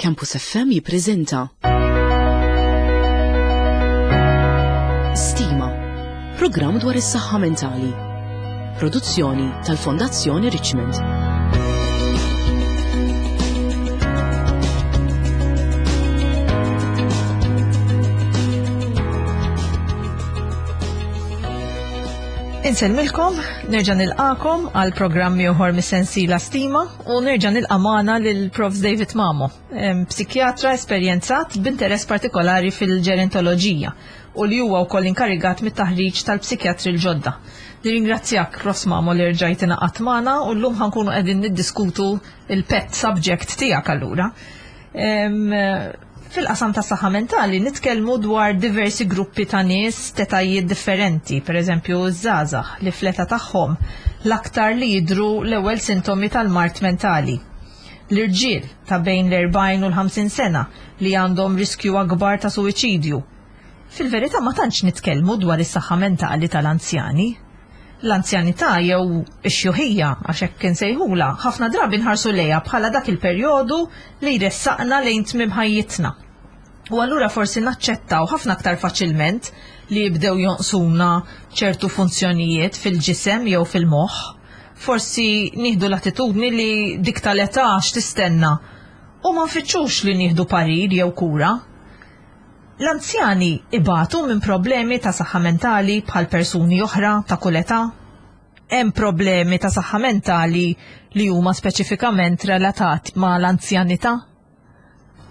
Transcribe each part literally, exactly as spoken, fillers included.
Campus F M jippreżenta Stima, programm dwar is-saħħa mentali. Produzzjoni tal-Fondazzjoni Richmond. Insellmilkom, nerġa' nilqakom għal programm ieħor mis-sensiela Stima u nerġa' nilqa' magħna lil Profs David Mamo, em, psikjatra esperjenzat b'interess partikolari fil-ġerontoloġija u li huwa wkoll inkarigat mit-taħriġ tal-psikjatri l-ġodda. Nirringrazzjak, Profs Mamo, li rġajt ingħaqadt magħna u llum ħa nkunu qegħdin niddiskutu il-pet subject tiegħek allura. Em, Fil-qasam ta' saħħa mentali nitkellmu dwar diversi gruppi ta' nies t'etajiet differenti, per eżempju żgħażagħ li fl-età tagħhom l-aktar li jidru l-ewwel sintomi tal-mard mentali. L-irġiel ta' bejn l-erbgħin u l-ħamsin sena li għandhom riskju akbar ta' suwiċidju. Fil-verità ma tantx nitkellmu dwar is-saħħa mentali tal-anzjani. L-anzjanità jew ix-xjuħija, għax hekk insejħula, ħafna drabi nħarsu lejha bħala dak il-perjodu li jressaqna lejn tmiem ħajjitna. U allura forsi naċċettaw ħafna aktar faċilment li jibdew jonqsuna ċertu funzjonijiet fil-ġisem jew fil-moħħ. Forsi nieħdu l-attitudni li dik tal-età x'tistenna u ma nfittxux li nieħdu parir jew kura. L-anzjani ibatu minn problemi ta' saħħa mentali bħal persuni oħra ta' kull età? Hemm problemi ta' saħħa mentali li huma speċifikament relatati ma' l-anzjanità?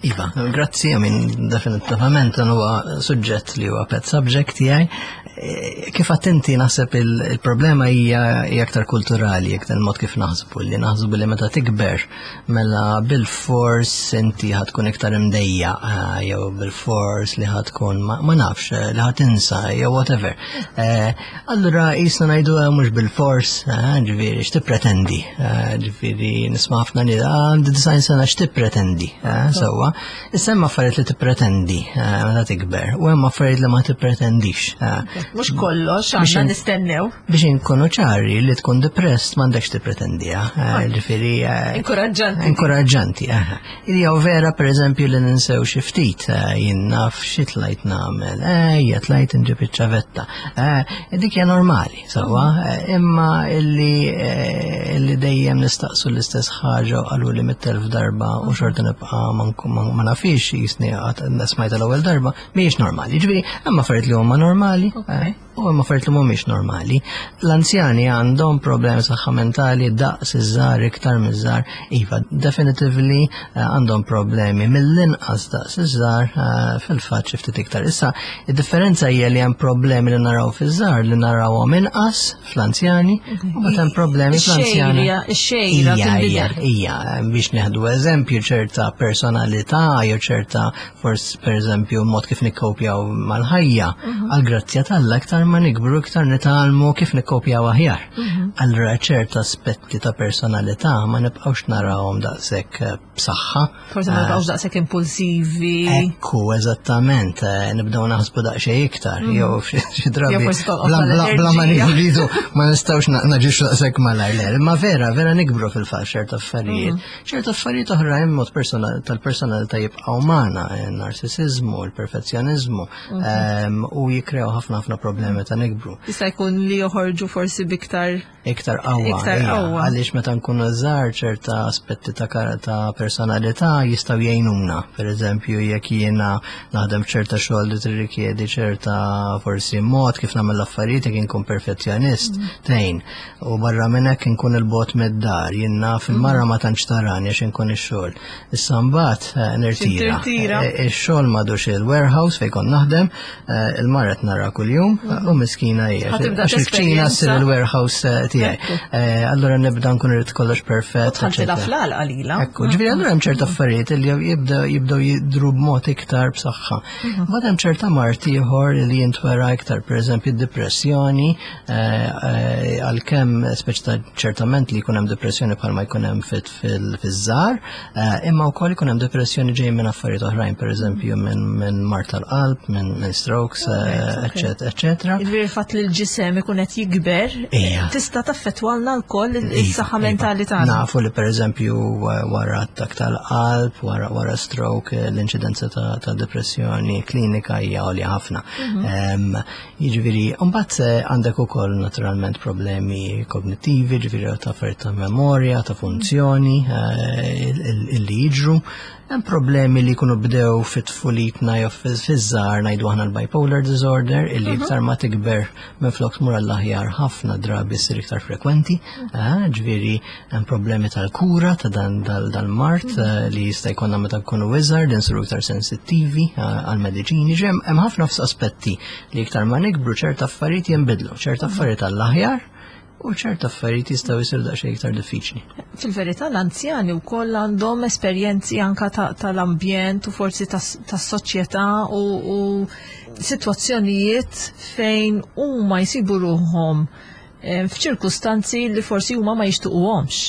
Iva, grazzi, I mean, definitivament dan huwa suġġett li huwa pet subject tiegħi. E, Kif attenti naħseb il- il-problema hija hija aktar kulturali, iktar il-mod kif naħsbu, li naħsbu li meta tikber mela bil-fors inti ħa tkun iktar imdejja, eh, jew bil-fors li ħa tkun ma, ma nafx, eh, li ħa tinsa, jew whatever. Eh, Allura jisna ngħidu eh, mhux bil-fors, eh, ġifieri x'tippretendi, eh, ġifieri nisma' ħafna li għandi disgħin sena x'tippretendi, eh, sewwa. Issa hemm affarijiet li tippretendi eh, meta tikber u hemm affarijiet li ma tippretendix. eh. Mhux kollox Biex għandna in- nistennew. Biex inkunu ċari, li tkun depressed m'għandekx tippretendiha, eh, ġifieri eh, Inkoraġġanti. Inkoraġġanti, eh. Jew vera per eżempju li ninsew xi ftit, eh, jien naf xi tlajt nagħmel, eh, hija tlajt inġib iċ-ċavetta. Eh, dik hija normali, sewwa, eh, imma illi eh, illi dejjem nistaqsu l-istess ħaġa u qalu li mitt elf darba u xorta nibqa' ma nkun- ma ma nafix jisni għad smajta l-ewwel darba, mhijiex normali. Ġifieri, hemm affarijiet li huma normali, eh, u hemm affarijiet li mhumiex normali. L-anzjani għandhom problemi saħħa mentali daqs iż-żgħar, iktar miż-żgħar, iva, definitively eh, għandhom problemi mill-inqas daqs iż-żgħar, eh, fil-fatt xi ftit iktar. Issa, id-differenza hija li hemm problemi li naraw fiż-żgħar li narawhom inqas fl-anzjani u mbagħad hemm problemi fl-anzjani. Ix-xejra, ix-xejra Ija, ija, tinbidel. ija, biex neħdu eżempju ċerta personalità jew ċerta forsi per eżempju mod kif nikkopjaw mal-ħajja, għal-grazzja t'Alla iktar ma nikbru iktar nitgħallmu kif nikkopjaw aħjar. Allura ċerta aspetti ta' personalità ma nibqgħux narawhom daqshekk eh, b'saħħa. Forsi ma nibqgħux daqshekk impulsivi. Ekku, eżattament, eh, nibdew naħsbu daqsxejn iktar, jew xi xi drabi. Jew forsi tonqos bla- bla- Bla ma tal-enerġija. nridu, ma nistgħux na- naġixxu daqshekk malajr. Le, imma vera, vera nikbru fil-fatt ċerta affarijiet. Ċerta affarijiet oħrajn mod persona- tal-personalità jibqgħu magħna, eh, narcissizmu, il-perfezzjonizmu, ehm, u jikrew ħafna ħafna problemi meta nikbru. Jista' jkun li joħorġu forsi biktar Iktar qawwa. Iktar ija, qawwa. Għaliex meta nkunu żgħar ċerta aspetti ta' kar- ta' personalità jistgħu jgħinuna. Per eżempju, jekk jiena naħdem ċerta xogħol li tirrikjedi ċerta forsi mod kif nagħmel l-affarijiet, jekk inkun perfezzjonist, tgħin. U barra minn hekk inkun il-bogħod mid-dar, jien naf il-mara ma tantx tarani għax inkun ix-xogħol. Issa mbagħad eh, nirtira. Tirtira. Eh, Ix-xogħol m'għadux il-warehouse fejn kont naħdem, eh, il-mara qed nara kuljum u miskina hija. Ħa tibda Għax il-kċina ssir tesperjenza. il-warehouse eh, tiegħi. Ekku. Eh, Allura nibda nkun irid kollox perfett. Tħalltilha eccetera. fl-għalqa lila. Ekku, ġifieri allura hemm ċerta affarijiet li jibdew jibdew jidru b'mod iktar b'saħħa. Mbagħad hemm ċerta mard ieħor li jintwera iktar, pereżempju d-depressjoni, eh, eh, għalkemm speċi ta' ċertament li jkun hemm depressjoni bħalma jkun hemm fit fil-żgħar, imma wkoll ikun hemm depressjoni ġej minn affarijiet oħrajn, pereżempju minn minn mard tal-qalb, minn minn strokes, Alright, okay. eccetera, eccetera. eċċetera. Jiġifieri fatt li l-ġisem ikun qed jikber, tista' taffettwalna wkoll is-saħħa mentali tagħna. Nafu li pereżempju wara attakk tal-qalb, wara wara stroke, l-inċidenza ta' depressjoni klinika hija għolja ħafna. Jiġifieri, mbagħad għandek ukoll naturalment problemi kognittivi, ġifieri ta' affarijiet ta' memorja, ta' funzjoni illi jiġru. Hemm problemi li jkunu bdew fit-tfulitna jew fiż-żgħar, ngħidu aħna l-bipolar disorder, illi iktar ma tikber minflok tmur għall-aħjar ħafna drabi ssir iktar frekwenti. Ġifieri hemm problemi tal-kura ta' dan dal-mard li jista' jkollna meta nkunu iżgħar, li nsiru iktar sensittivi għall-mediċini. Hemm ħafna aspetti li iktar ma nikbru ċerta affarijiet jinbidlu, ċerta affarijiet għall-aħjar u ċerta affarijiet jistgħu jsiru daqsxejn iktar diffiċli. Fil-verità l-anzjani wkoll għandhom esperjenzi anka tal-ambjent u forsi tas-soċjetà u sitwazzjonijiet fejn huma jsibu ruħhom f'ċirkustanzi li forsi huma ma jixtuquhomx.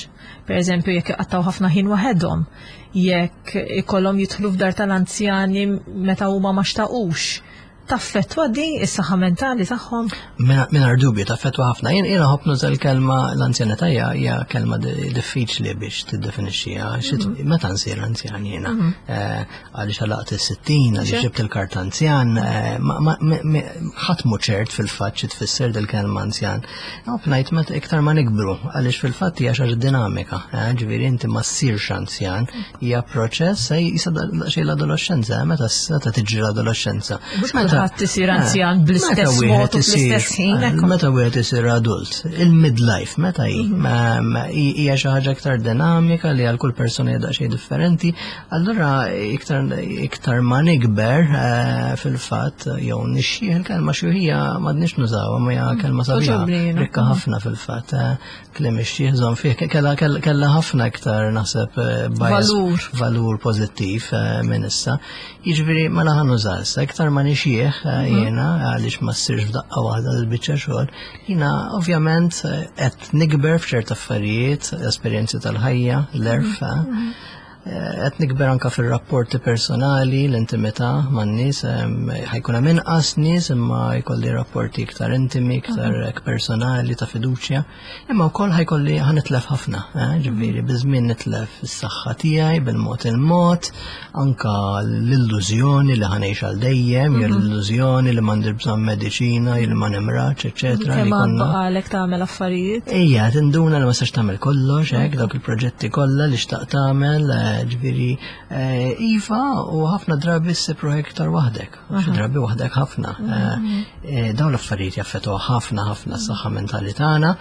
Per eżempju, jekk iqattgħu ħafna ħin waħedhom, jekk ikollhom jidħlu f'dar tal-anzjani meta huma ma xtaqux. Taffettwa di is-saħħa mentali tagħhom? Mingħajr dubju taffettwa ħafna. Jien jiena ħobb nuża l-kelma l-anzjanità hija kelma diffiċli biex tiddefinixxiha. Meta nsir anzjan jiena? Għaliex għalaqt is-sittin, għaliex ġibt il-karta anzjan, ħadd mhu ċert fil-fatt xi tfisser dil-kelma anzjan. Nħobb ngħid meta iktar ma nikbru, għaliex fil-fatt hija xi ħaġa dinamika. Ġifieri inti ma ssirx anzjan, hija proċess jisa xejn l-adolescenza, meta tiġri l-adolescenza. Kulħadd isir anzjan bl-istess mod u fl-istess ħin. Meta wieħed isir adult, il-midlife meta hi hija xi ħaġa iktar dinamika li għal kull persuna hija daqsxejn differenti. Allura iktar iktar ma nikber fil-fatt jew nixxieħ, il-kelma xjuħija m'għadniex nużawha, ma hija kelma sabiħa, rikka ħafna fil-fatt. Kliem ix-xieħ żomm fih kellha kellha ħafna iktar naħseb valur valur pożittiv minn issa. Jiġifieri mela ħa nuża issa iktar ma nixxieħ jiena għaliex ma ssirx f'daqqa waħda l-biċċa xogħol. Jiena ovvjament qed nikber f'ċerta affarijiet, esperjenzi tal-ħajja, l-għerf, qed nikber anka fir-rapporti personali, l-intimità man-nies, ħajkun hemm inqas nies imma jkolli rapporti iktar intimi, iktar personali ta' fiduċja, imma wkoll ħajkolli ħa nitlef ħafna, ġifieri biż-żmien nitlef is-saħħa tiegħi bil-mod il-mod, anka l-illużjoni li ħanejx għal dejjem, jew l-illużjoni li m'għandi bżonn mediċina, jew li ma nimrax, eċċetera. Kemm baqalek tagħmel affarijiet? Ejja, tinduna li ma sax tagħmel kollox, hekk dawk il-proġetti kollha li xtaqt tagħmel, ġifieri iva, u ħafna drabi ssib ruħek iktar waħdek, xi drabi waħdek ħafna. Dawn l-affarijiet jaffettwaw ħafna ħafna s-saħħa mentali tagħna,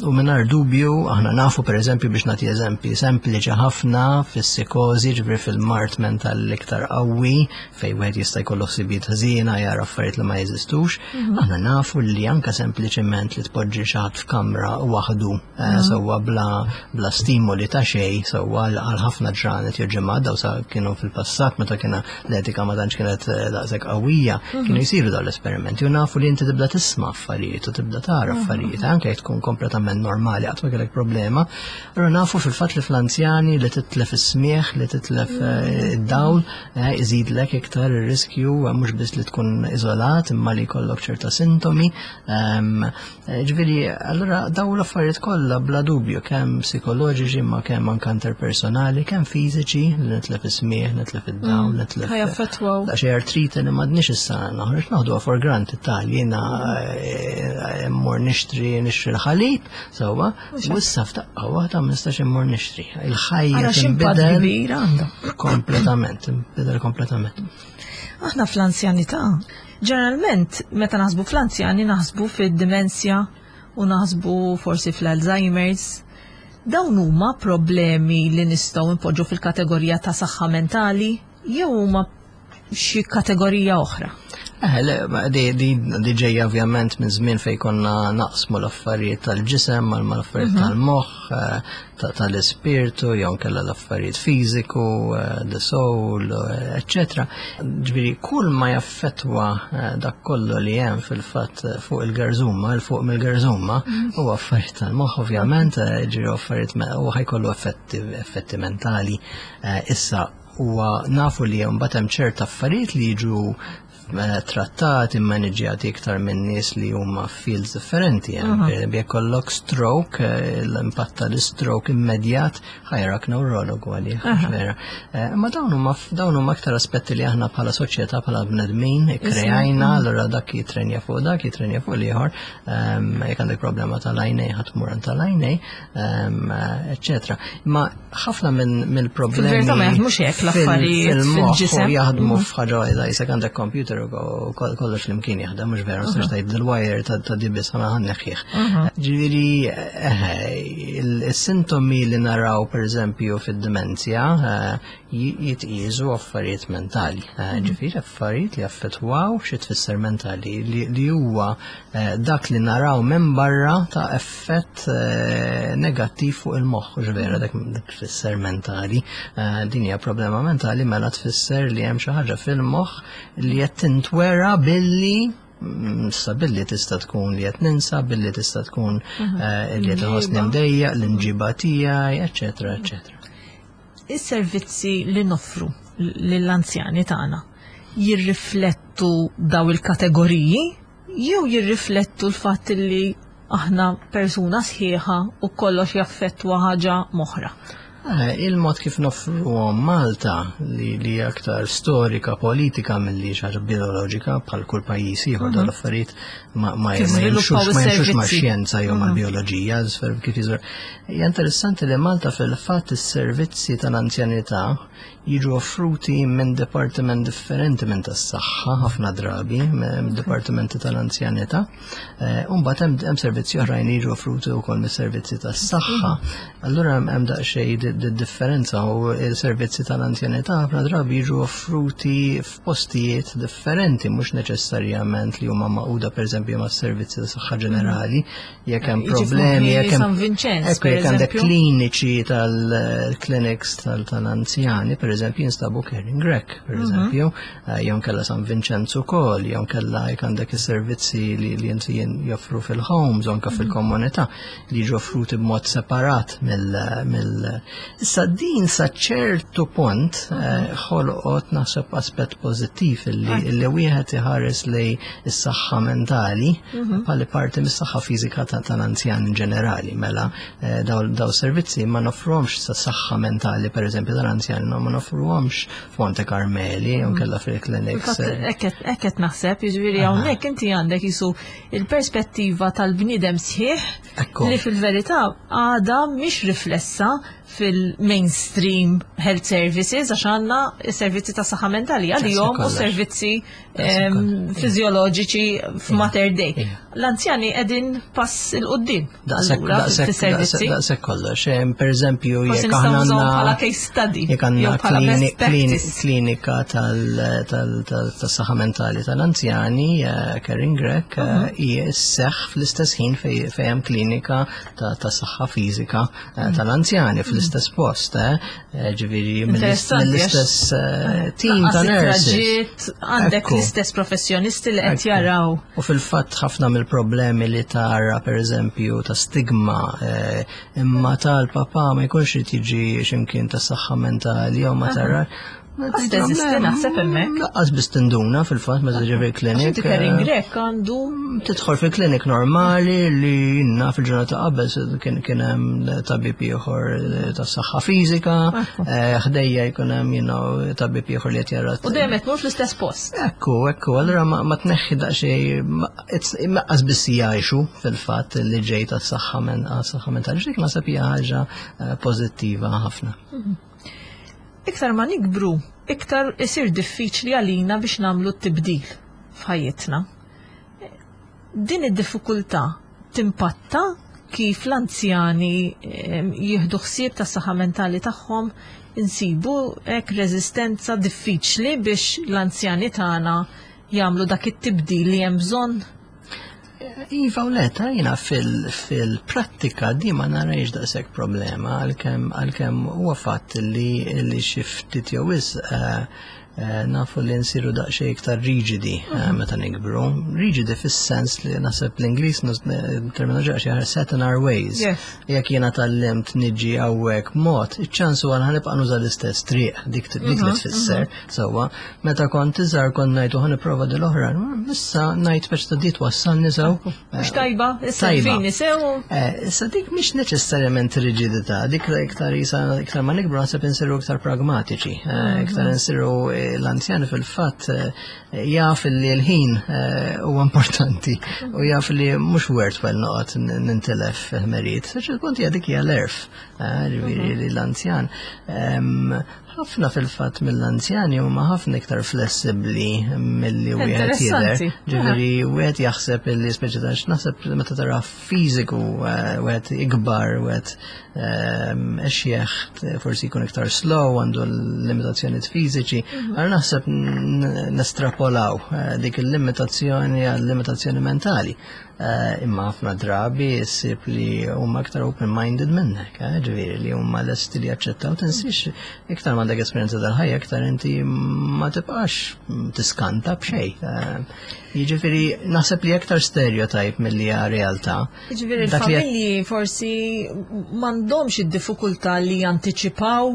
u mingħajr dubju aħna nafu pereżempju, biex nagħti eżempji sempliċi ħafna, fis-psikożi, ġifieri fil-mard mentali l-iktar qawwi fejn wieħed jista' jkollu ħsibijiet ħżiena, jara affarijiet li ma jeżistux, aħna nafu li anke sempliċement li tpoġġi xi ħadd f'kamra waħdu sewwa bla bla stimoli ta' xejn, sewwa għal ħafna ġranet jew ġimgħat, daw sa kienu fil-passat meta kiena l-etika ma tantx kienet daqshekk qawwija, kienu jsiru dawn l-esperimenti u nafu li inti tibda tisma' affarijiet u tibda tara affarijiet anke jekk tkun kompletament normali qatt ma kellek problema. Allura nafu fil-fatt li fl-anzjani li titlef is-smieħ, li titlef id-dawl, iżidlek iktar ir-riskju mhux biss li tkun iżolat imma li jkollok ċerta sintomi. Ġifieri allura dawn l-affarijiet kollha bla dubju kemm psikoloġiċi ma kemm anke interpersonali, kemm fiżiċi, li nitlef is-smieħ, nitlef id-dawl, nitlef Ħajaffettwaw. Xi artrite li m'għadniex issa noħroġ naħduha for granted tal jiena mmur nixtri nixtri l-ħalib, sewwa, u issa f'daqqa waħda ma nistax immur nixtri. Il-ħajja tinbidel kbir għandha. Kompletament, tinbidel kompletament. Aħna fl-anzjanità, ġeneralment meta naħsbu fl-anzjani naħsbu fid-dimensja u naħsbu forsi fl-Alzheimer's. Dawn huma problemi li nistgħu npoġġu fil-kategorija ta' saħħa mentali jew huma xi kategorija oħra? Eh, le, di, di, di ġejja ovvjament minn żmien fejn konna naqsmu l-affarijiet tal-ġisem mal l-affarijiet tal-moħħ, tal-ispirtu, jew nkella l-affarijiet fiżiku, the soul, eċċetera. Ġifieri kull ma jaffettwa dak kollu li hemm fil-fatt fuq il-gerżuma, il fuq mill-gerżuma, huwa affarijiet tal-moħħ ovvjament, ġifieri affarijiet u ħajkollu effetti, effetti mentali. Issa huwa nafu li mbagħad hemm ċerta affarijiet li jiġu eh, trattati, maniġjati iktar minn nies li huma fields differenti. Per jekk ikollok stroke, eh, l-impatt tal-stroke immedjat ħa jarak neurologu għalih, vera. Eh, Ma dawn huma dawn huma aktar aspetti li aħna bħala soċjetà, bħala bnedmin kreajna, allura dak jitrenja fuq dak, jitrenja fuq l-ieħor, ehm, jekk għandek problema tal-għajnej ħa tmur għand tal-għajnej, ehm, eccetera. Ma ħafna minn mill-problemi Fil-verità ma jaħdmux hekk l-affarijiet fil-moħħ fil-ġisem. u jaħdmu f'ħaġa waħda, jisek għandek computer u kol- kollox flimkien jaħdem, mhux vera, mhux tgħid il-wire ta' ta' dibis ħana ħa nneħħih. Ġifieri, eh, il-sintomi li naraw per eżempju fid-demenzja eh, ji- jitqisu affarijiet mentali. Eh, Ġifieri affarijiet li affettwaw xi tfisser mentali li li huwa eh, dak li naraw minn barra ta' effett eh, negattiv fuq il-moħħ, mhux vera, dak dak tfisser mentali. Eh, Din hija problema mentali, mela tfisser li hemm xi ħaġa fil-moħħ li qed tintwera billi mm, issa billi tista' tkun li qed ninsa, billi tista' tkun eh, li qed inħossni mdejjaq, l-imġiba tiegħi, eċetera, eċetera. Is-servizzi li noffru lill-anzjani tagħna jirriflettu daw il-kategoriji jew jirriflettu l-fatt li aħna persuna sħiħa u kollox jaffettwa ħaġa m'oħra? Eh, Il-mod kif noffru Malta li, li aktar storika, politika milli xi ħaġa bioloġika, bħal kull pajjiż ieħor dawn l-affarijiet ma, ma, Kif ma żviluppaw jimxux ma jimxux ma' is-servizzi. xjenza jew mal-bioloġija, sfer kif jiżver. Hija interessanti li Malta fil-fatt is-servizzi tal-anzjanità jiġu offruti minn dipartiment differenti minn tas-saħħa ħafna drabi, minn dipartimenti tal-anzjanità. Eh, U mbagħad hemm hemm servizzi oħrajn li jiġu offruti wkoll mis-servizzi tas-saħħa. Allura hemm hemm daqsxejn di- di differenza u il-servizzi tal-anzjanità ħafna drabi jiġu offruti f'postijiet differenti, mhux neċessarjament li huma magħquda pereżempju mas-servizzi tas saħħa ġenerali, jekk hemm Jiġi problemi, f'moħħi jekk hemm San Vincenz, Ekku, per jekk għandek eżempju. kliniċi tal-clinics tal-anzjani, per eżempju, jinstabu Caring Grech, per eżempju, eh, jew kella San Vincenzo ukoll, jew kella jekk għandek is-servizzi li li inti joffru fil-homes, anka fil-komunità, li jiġu offruti b'mod separat mill mill Issa din sa ċertu punt eh, ħolqot naħseb aspett pożittiv illi illi wieħed iħares lej is-saħħa mentali bħala parti mis-saħħa fiżika ta' tal-anzjan in ġenerali. Mela eh, daw daw servizzi ma nofruhomx sa saħħa mentali per eżempju tal-anzjan, ma nofruhomx f'Monte Carmeli jew kella fil-clinics. Hekk qed naħseb, jiġifieri hawnhekk inti għandek jisu il-perspettiva tal-bniedem sħiħ Ekku. li fil-verità għada mhix riflessa fil-mainstream health services, għax għandna s-servizzi ta' saħħa mentali għalihom u kollox. servizzi Daqshekk em, kollox. fiżjoloġiċi f'Mater Dei. Ija. L-anzjani qegħdin pass 'il quddiem Daqshekk allura daqshekk fis-servizzi. daqshekk kollox. Em, Per eżempju, Forsi jekk nistgħu aħna nużawhom għandna bħala case study jekk għandna jew bħala best klini- klini- practice. klinika tal- tal- tal- tas-saħħa mentali tal-anzjani, eh, Caring Grech, eh, hija sseħħ fl-istess ħin fej fej hemm klinika ta' ta' saħħa fiżika eh, tal-anzjani fl-istess post, eh, Eh, ġifieri Interessanti, mill-istess eh, team Lanqas ta' nurses. it-traġitt, għandek Ekku. l-istess professjonisti li qed Ekku. jaraw. U fil-fatt ħafna mill-problemi li tara per eżempju ta' stigma, eh, imma tal-papa ma jkunx irid jiġi x'imkien ta' saħħa mentali jew ma tara. Għas teżisti naħseb hemmhekk. Lanqas biss tinduna fil-fatt meta tiġi Għax fil-klinik. inti Caring eh, Grech għandu Tidħol fil-klinik normali li jinna fil-ġurnata qabel se kien kien hemm tabib ieħor eh, tas-saħħa fiżika, Ekku. eh, ħdejja jkun hemm you know, tabib ieħor li qed jara u dejjem qed tmur fl-istess post. Ekku, ekku, allura ma, ma tneħħi daqsxejn, ma- it's- immaqqas biss jgħixu fil-fatt li ġej tas-saħħa men saħħa mentali. Dik naħseb hija ħaġa eh, pożittiva ħafna. Iktar ma nikbru, iktar isir diffiċli għalina biex nagħmlu t-tibdil f'ħajjitna. Din id-diffikultà timpatta kif l-anzjani em, jieħdu ħsieb tas-saħħa mentali tagħhom? Insibu hekk reżistenza diffiċli biex l-anzjani tagħna jagħmlu dak it-tibdil li hemm bżonn? Iva u le, ta' jina fil-prattika di ma narajx daqshekk problema, għalkemm għalkemm huwa fatt li li xi ftit jew wisq eh, Eh, nafu li nsiru daqsxejn iktar riġidi eh, meta nikbru. Riġidi fis-sens li naħseb l-Ingliż terminoloġija xi ħaġa set in our ways. Yes. Jekk jiena tgħallimt niġi hawnhekk mod, iċ-ċans huwa ħa nibqa' nuża l-istess triq dik dik li tfisser. Sewwa, meta kont iżgħar kont ngħid u ħa nipprova dil-oħra, issa ngħid biex ta' di twassalni sew. Mhux tajba, issa Tajba. fini sew. Eh, Issa dik mhix neċessarjament riġidità, dik iktar isa iktar ma nikbru naħseb insiru iktar pragmatiċi, eh, iktar insiru eh, l-anzjani fil-fatt eh, jaf li l-ħin eh, huwa importanti u jaf li mhux worthwhile noqgħod n- nintilef ħmerijiet. Sa ċertu punt hija dik hija l-għerf, eh, ġifieri li l-anzjan em, ħafna fil-fatt mill-anzjani huma ħafna iktar flessibbli milli wieħed jidher. Interessanti. Ġifieri wieħed jaħseb illi speċi ta' naħseb meta tara fiżiku eh, wieħed ikbar, wieħed ehm, exjeħ forsi jkun iktar slow, għandu l-limitazzjonijiet fiżiċi. Għal naħseb n- nestrapolaw eh, dik il-limitazzjoni għal limitazzjoni mentali. Eh, Imma ħafna drabi ssib li huma aktar open-minded minnek, eh, ġifieri li huma lesti li jaċċettaw tinsiex iktar m'għandek esperjenza tal-ħajja, iktar inti ma tibqax tiskanta b'xejn. Eh, Jiġifieri naħseb li aktar stereotype milli hija realtà. Jiġifieri Dak li il-familji forsi m'għandhomx id-diffikultà li jantiċipaw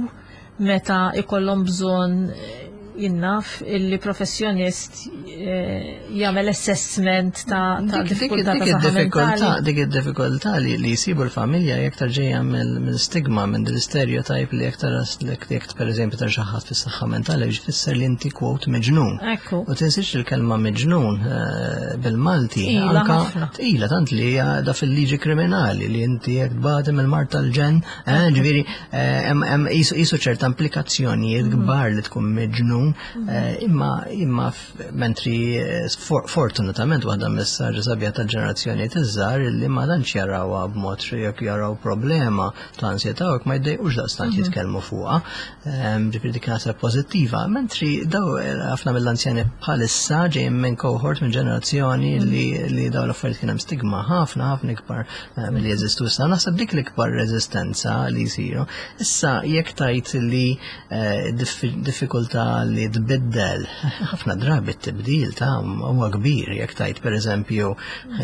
meta ikollhom bżonn eh, jien naf illi professjonist eh, jagħmel assessment ta' ta' Dik- dik diffikultà dik ta' saħħa id-diffikultà, mentali. dik id-diffikultà li li jsibu l-familja iktar ġejja mill-stigma minn dil-stereotype li iktar jekk per eżempju ta' xi ħadd fis-saħħa mentali jfisser li inti quote miġnun. Ekku. U tinsiex il-kelma miġnun eh, bil-Malti Tqila anka ħafna. tqila tant li hija da fil-liġi kriminali li inti jekk tbati mill-mard tal-ġenn, eh, ġifieri eh, hemm hemm qisu qisu ċerta implikazzjonijiet kbar li tkun miġnun, eh, imma imma f- mentri eh, for- fortunatament waħda messaġġi sabiħa tal-ġenerazzjoni iż-żgħar li ma tantx jarawha b'mod xi jekk jaraw problema ta' ansjetà u jekk ma jdejqux daqstant jitkellmu fuqha. Ehm, Ġifieri dik naħseb pożittiva, mentri daw eh, ħafna mill-anzjani bħalissa ġejjin minn cohort minn ġenerazzjoni li li daw l-affarijiet kien hemm stigma ħafna ħafna ikbar eh, milli jeżistu issa. Naħseb dik l-ikbar reżistenza li jsiru. Issa jekk tajt li eh, diffi- diffikultà li tbiddel, ħafna drabi t-tibdil ta' huwa kbir jekk tajt per eżempju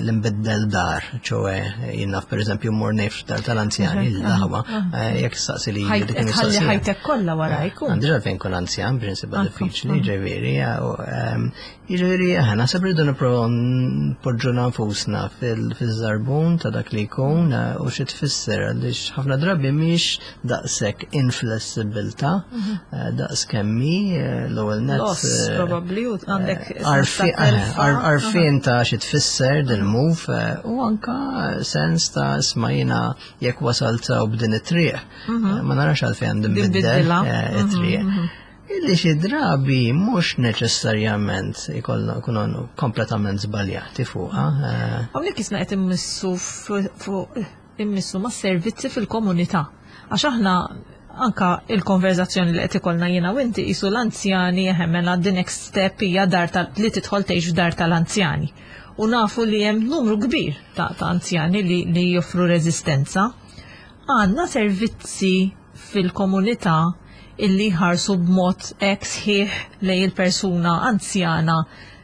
l-imbiddel dar, ċoè jien naf per eżempju mmur ngħix dar tal-anzjani, l-aħwa, eh, jekk saqsi li Ħajt- dik Tħalli il-mistoqsija. ħajtek kollha warajk. u- Għandi għalfejn kun anzjan, prinsipa Anka, diffiċli, ġifieri, u, ehm, ġifieri, eh, naħseb rridu nipprovaw npoġġu nfusna fil-żarbun ta' dak li jkun eh, u xi tfisser għaliex ħafna drabi mhix daqshekk inflessibilità, eh, daqs kemmi eh, l-ewwel net. Loss, eh, probably, u għandek għarfi- sens ta' telfa. eh, għar- Għarfien ta' xi tfisser dil-move eh, u anka sens ta' isma' jiena jekk wasalt u b'din it-triq. Eh, Ma narax għalfejn għandi nbiddel Nbiddilha. eh, it-triq. Illi xi drabi mhux neċessarjament ikollna kunu kompletament żbaljati fuqha. eh, Hawnhekk isna qed immissu fuq immissu ma' servizzi fil-komunità. Għax aħna anka il-konverzazzjoni li qed ikollna jiena u inti qisu l-anzjani mela the next step hija dar tal li tidħol tgħix f'dar tal-anzjani. U nafu li hemm numru kbir ta', ta' anzjani li, li joffru reżistenza. Għandna servizzi fil-komunità illi jħarsu b'mod hekk sħiħ lejn il-persuna anzjana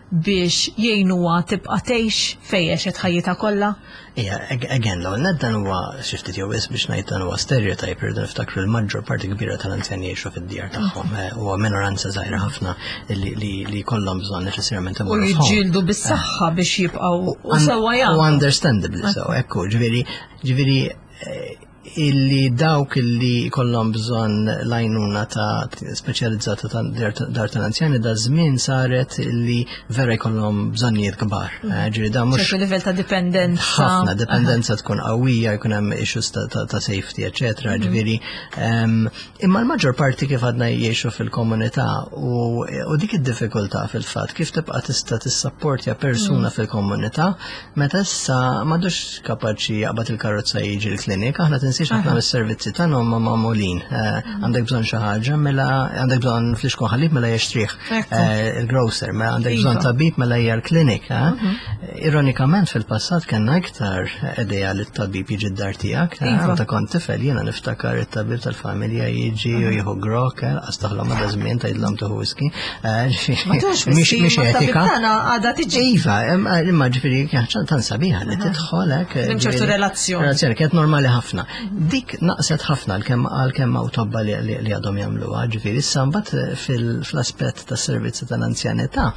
biex jgħinuha tibqa' tgħix fejn għexet ħajjitha kollha. Ija, ag- again, l net dan huwa xi ftit jew wisq biex ngħid dan huwa stereotype, irridu niftakru l-maġġor parti kbira tal-anzjani jgħixu fid-djar tagħhom. eh, Huwa minoranza żgħira ħafna li li li jkollhom bżonn neċessarjament U imorru f'home. jiġġieldu bis-saħħa biex jibqgħu u sewwa U jagħmlu. understandably so, ekku, ġifieri, ġifieri, eh, illi dawk illi kollhom bżonn l-għajnuna ta' speċjalizzata ta' dar dar tal-anzjani da żmien saret illi vera jkollhom bżonnijiet kbar. Eh, Ġifieri da mhux ċertu livell ta' dipendenza. ħafna dipendenza tkun qawwija, jkun hemm issues ta', ta, ta safety, eċetera, ġifieri. em, Imma l-maġġor parti kif għadna jgħixu fil-komunità u, u dik id-diffikultà fil-fatt kif tibqa' tista' tissapportja persuna fil-komunità meta issa m'għadux kapaċi jaqbad il-karozza jiġi l-klinik, aħna tinsiex servizzi, ħafna mis-servizzi tagħna huma magħmulin. Eh, għandek bżonn xi ħaġa, mela għandek bżonn flixkun ħalib, mela jixtrih eh, il-grocer, mela għandek bżonn Iva. tabib, mela hija l-klinik. eh. Ironikament fil-passat kellna iktar idea li t-tabib jiġi d-dar tiegħek. eh, Iva. Meta kont tifel jiena niftakar it-tabib tal-familja jiġi u jieħu grog, astaħlom għadha żmien tgħidlhom tieħu whisky. Eh, Ma tux Mhix mhix ma tabib etika. tagħna għadha tiġi. Iva, imma imma ġifieri kien tan sabiħa li tidħol hekk. Hemm ċertu ġifieri- relazzjoni. Relazzjoni kienet normali ħafna. Dik naqset ħafna għalkemm għalkemm hawn tobba li, li, li għadhom jagħmluha, ġifieri issa mbagħad fil- fl-aspett tas-servizzi tal-anzjanità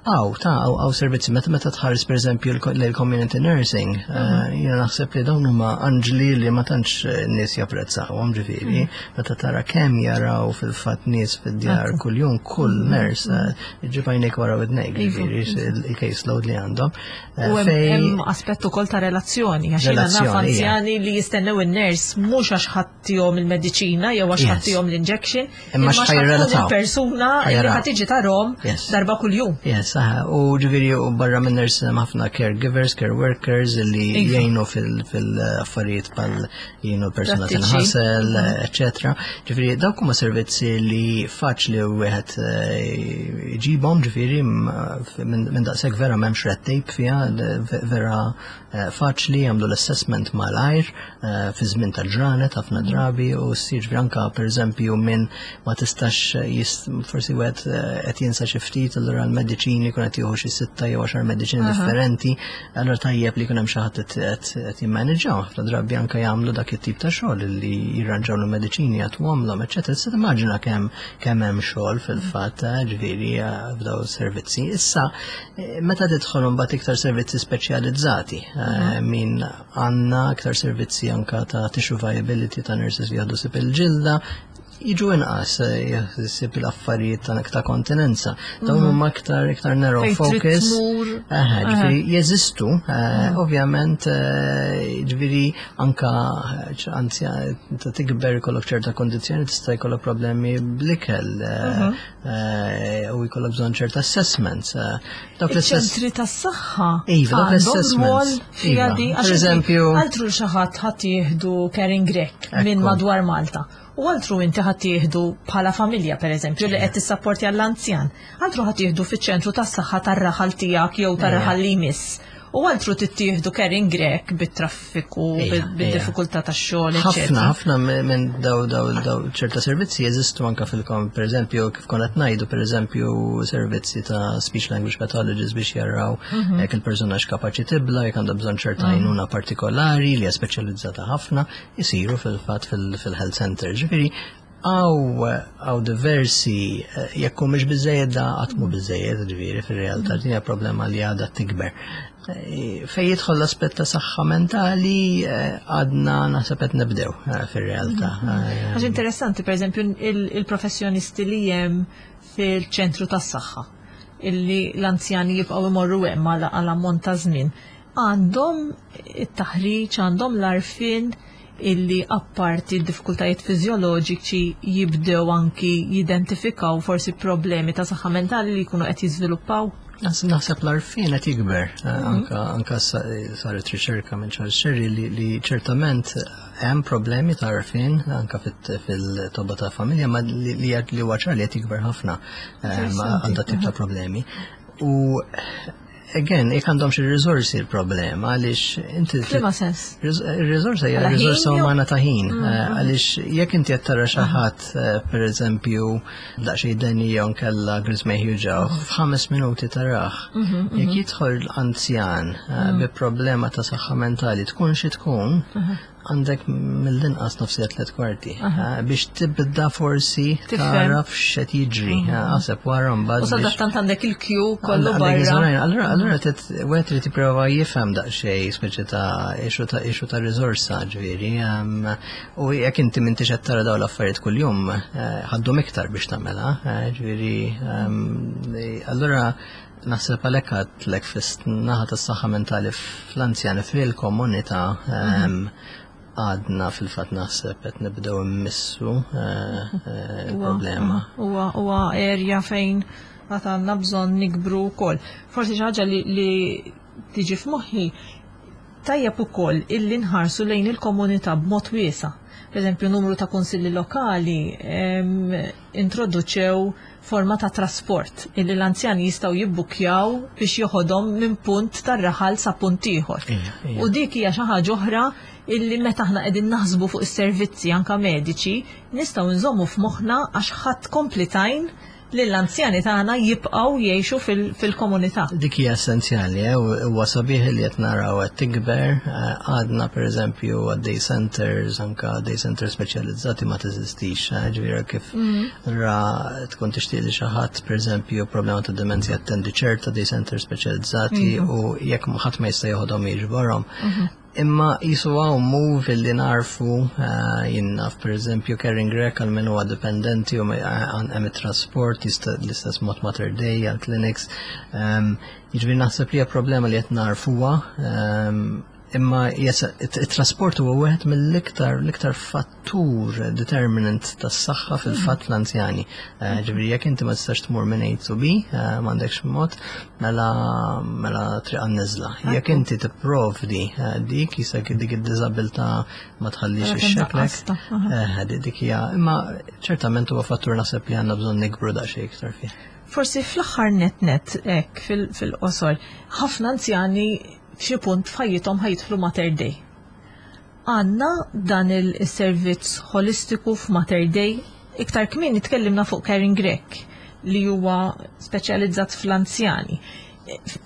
Għaw, ta' għaw, għaw servizzi, meta meta tħares per eżempju l-community nursing, eh, jiena naħseb li dawn huma anġli li ma tantx eh, nies japprezzawhom ġifieri, meta tara kemm jaraw fil-fatt nies fid-djar kuljum kull nurse, eh, iġib għajnejk wara widnejk, ġifieri il-case load li għandhom. Eh, U hemm fej- hemm aspett ukoll ta' relazzjoni, għax jiena naf Relazzjoni, ija. anzjani li jistennew in-nurse mhux għax ħa ttihom il-mediċina jew għax Yes. ħa ttihom l-injection, Imma għax x'ħa jirrelataw. il-persuna li Ħa jaraw. ħa tiġi tarahom Yes. darba kuljum. Yes, aha, u ġifieri u barra minn nurse hemm ħafna caregivers, care workers li Iva. jgħinu fil- fil-affarijiet bħal jgħinu persuna Prattiċi. tinħasel, eccetera. Ġifieri dawk huma servizzi li faċli wieħed eh, jġibhom ġifieri m- minn minn daqshekk vera m'hemmx red tape fiha, ve- vera eh, faċli jagħmlu l-assessment malajr eh, fi żmien ta' ġranet ħafna drabi u ssir ġifieri anka pereżempju minn ma tistax jist, forsi wieħed eh, qed jinsa xi ftit allura l-mediċini jkun qed jieħu xi sitta jew għaxar mediċini differenti, allura tajjeb li jkun hemm xi ħadd qed- qed qed jimmaneġġjaw. Ħafna drabi anke jagħmlu dak it-tip ta' xogħol li jirranġaw l-mediċini jagħtuhomlhom, eċetera. Issa timmaġina kemm kemm hemm xogħol fil-fatt, eh, ġifieri eh, f'daw is-servizzi. Issa eh, meta tidħol mbagħad iktar servizzi speċjalizzati, eh, min għandna iktar servizzi anka ta' tissue viability ta' nurses li jieħdu ħsieb il-ġilda, jiġu inqas eh, ħsieb l-affarijiet ta' ta' kontinenza. Dawn huma aktar iktar narrow Fejn trid focus. tmur. Aha, ġifieri jeżistu, eh, ovvjament, eh, ġifieri anka eh, anzja ta' tikber jkollok ċerta kondizzjoni tista' jkollok problemi bl-ikel eh, eh, u jkollok bżonn ċerta assessments. eh, Dawk l-assess- Iċ-ċentri tas-saħħa Iva, dawk għandhom l-assessments. rwol fiha Iva. di Per għax inti eżempju- altru xi ħadd ħadd jieħdu caring Grek minn Ekku. madwar Malta. U altru inti ħadd jieħdu bħala familja pereżempju li qed tissapporti għall-anzjan. Altru ħadd jieħdu fiċ-ċentru tas-saħħa tar-raħal tiegħek jew tar-raħal li jmiss. U altru tittieħdu caring Grek bit-traffiku, Ija, bid-diffikultà tax-xogħol, ħafna, eċetera. ħafna minn daw daw daw ċerta servizzi jeżistu anka fil-kom, per eżempju, kif konna ngħidu, per eżempju, servizzi ta' speech language pathologists biex jaraw jekk il-persuna x'kapaċi tibla, jekk għandha bżonn ċerta għajnuna partikolari li hija speċjalizzata ħafna, jisiru fil-fatt fil-health center. Ġifieri, għaw għaw diversi, eh, jekk mhux biżejjed da qatt mhu biżejjed, ġifieri fir-realtà din hija problema li għadha tikber. Eh, Fej jidħol l-aspett ta' saħħa mentali eh, għadna naħseb qed nibdew eh, fir-realtà. Eh, Għax interessanti, per eżempju, il- il-professjonisti li hemm fil-ċentru tas-saħħa illi l-anzjani jibqgħu imorru hemm għal għal ammont ta' żmien. Għandhom it-taħriġ, għandhom l-għarfien illi apparti d-diffikultajiet fiżjoloġiċi jibdew anki jidentifikaw forsi problemi ta' saħħa mentali li jkunu qed jiżviluppaw. Naħseb naħseb l-għarfien qed jikber. Eh, Anka anka sa- saret riċerka minn Charles Scerri li, li ċertament hemm problemi ta' għarfien anka fit- fil-tobba ta' familja ma li li li huwa ċar li qed jikber ħafna eh, ma' għal dat tip ta' problemi. U again, jekk għandhom xi riżorsi l-problema għaliex inti F'liema sens? Il-riżorsa hija Għala ħin riżorsa jew- umana ta' ħin. eh, Għaliex jekk inti qed tara xi ħadd eh, pereżempju daqsxejn deni jew nkella griżmejh juġgħuh, f'ħames minuti tarah. Jekk jidħol anzjan eh, bi problema ta' saħħa mentali tkun xi tkun, għandek mill-inqas nofs siegħa tliet kwarti eh, biex tibda forsi Tifhem. taraf x'qed jiġri. eh, Aħseb wara mbagħad U biex- sadattant għandek il-queue kollu Għandek barra. iżorajn, Allura, allura tit wieħed irid jipprova jifhem daqsxejn speċi ta' issue ta' issue ta' riżorsa ġifieri. em, U jekk inti m'intix qed tara dawn l-affarijiet kuljum, eh, ħa ddum iktar biex tagħmilha, eh, ġifieri em, allura naħseb għalhekk għedtlek fis-naħa tas-saħħa mentali fl-anzjani fil-komunità em, għadna fil-fatt naħseb qed nibdew immissu eh, eh, il-problema. Huwa huwa area fejn għad għandna bżonn nikbru wkoll. Forsi xi ħaġa li, li tiġi f'moħħi Tajjeb ukoll illi nħarsu lejn il-komunità b'mod wiesa'. Per eżempju, numru ta' kunsilli lokali introduċew forma ta' trasport illi l-anzjani jistgħu jibbukjaw biex joħodhom minn punt tar-raħal sa punt ieħor. U dik hija xi ħaġa oħra illi meta aħna qegħdin naħsbu fuq is-servizzi anka mediċi, nistgħu nżommu f'moħħna għax ħadd komplitajn li l-anzjani tagħna jibqgħu jgħixu fil-komunità. Dik hija essenzjali, eh, huwa sabiħ li qed naraw qed tikber, eh, għadna pereżempju għad-day centers, anka day centers speċjalizzati ma teżistix, eh, ġifieri kif mm. ra tkun tixtieq li xi ħadd pereżempju problema ta' demenzja attendi ċerta day centers speċjalizzati mhm. u jekk ħadd ma jista' joħodhom jiġborhom. Mhm. Imma jisu hawn move li narfu, uh, jien naf per eżempju Caring Rec għal min huwa dipendenti u hemm it-trasport l-istess mod Mater Dei għal clinics. Um, jiġifieri naħseb li hija problema li qed narfuha, um, imma it-trasport huwa wieħed mill-iktar l-iktar fattur determinant tas-saħħa fil-fatt fl-anzjani. Eh, ġifieri jekk inti ma tistax tmur minn A to B, eh, m'għandekx mod, mela mela triq għan-niżla. Jekk inti tipprovdi eh, dik jisek dik id-diżabilità ma tħallix ixxekklek. Dik hija, imma ċertament huwa fattur naħseb li għandna bżonn nikbru daqsxejn iktar fih. Forsi fl-aħħar net net hekk fil-qosor, ħafna anzjani f'xi punt f'ħajjithom ħa jidħlu Mater Dei. Għandna dan il-servizz holistiku f'Mater Dei. Iktar kmieni tkellimna fuq Caring Rec li huwa speċjalizzat fl-anzjani.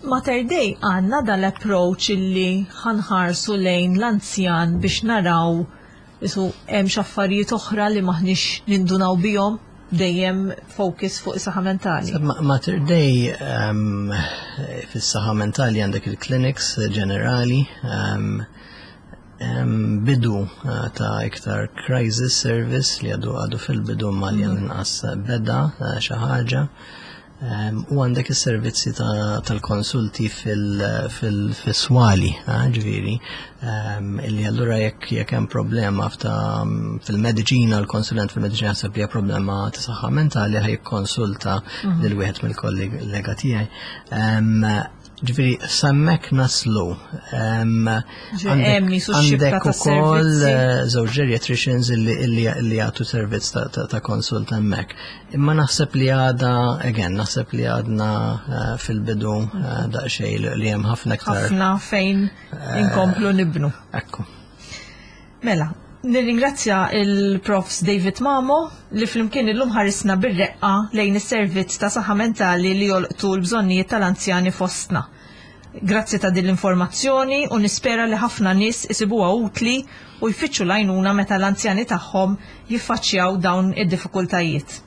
Mater Dei għandna dan l-approach illi ħa nħarsu lejn l-anzjan biex naraw isu hemm x'affarijiet oħra li maħniex nindunaw bihom, dejjem focus fuq is-saħħa mentali. Mater Dei, um, fis-saħħa mentali għandek il-clinics ġenerali, um, um, bidu uh, ta' iktar crisis service li għadu għadu fil-bidu ma li għal-inqas beda uh, xi ħaġa. Um, u għandek is-servizzi tal-konsulti fil-swali, eh, ġifieri, um, illi allura jekk jekk hemm problema fil-mediċina, l-konsulent fil-mediċina jaħseb li hija problema ta' saħħa mentali, ħa jikkonsulta mhm. lil wieħed mill-kollega tiegħi. Um, ġifieri, s'hemmhekk naslu. Għandek ukoll eh, żewġ geriatricians illi jagħtu servizz ta' konsult hemmhekk. Imma naħseb li għada, again, naħseb li għadna eh, fil-bidu eh, daqsxejn li hemm ħafna iktar. Ħafna fejn inkomplu nibnu. Ekku. Mela, nirringrazzja il-Profs David Mamo li flimkien illum ħarisna bir-reqqa lejn is-servizz ta' saħħa mentali li jolqtu l-bżonnijiet tal-anzjani fostna. Grazzi ta' din l-informazzjoni u nispera li ħafna nies isibuha utli u jfittxu l-għajnuna meta l-anzjani tagħhom jiffaċċjaw dawn id-diffikultajiet.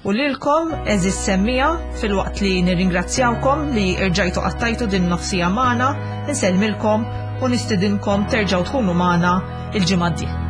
U lilkom, għeżież semmiegħa, filwaqt li nirringrazzjawkom li rġajtu qattajtu din nofs siegħa magħna, insellmilkom u nistidinkom terġgħu tkunu magħna il-ġimgħa d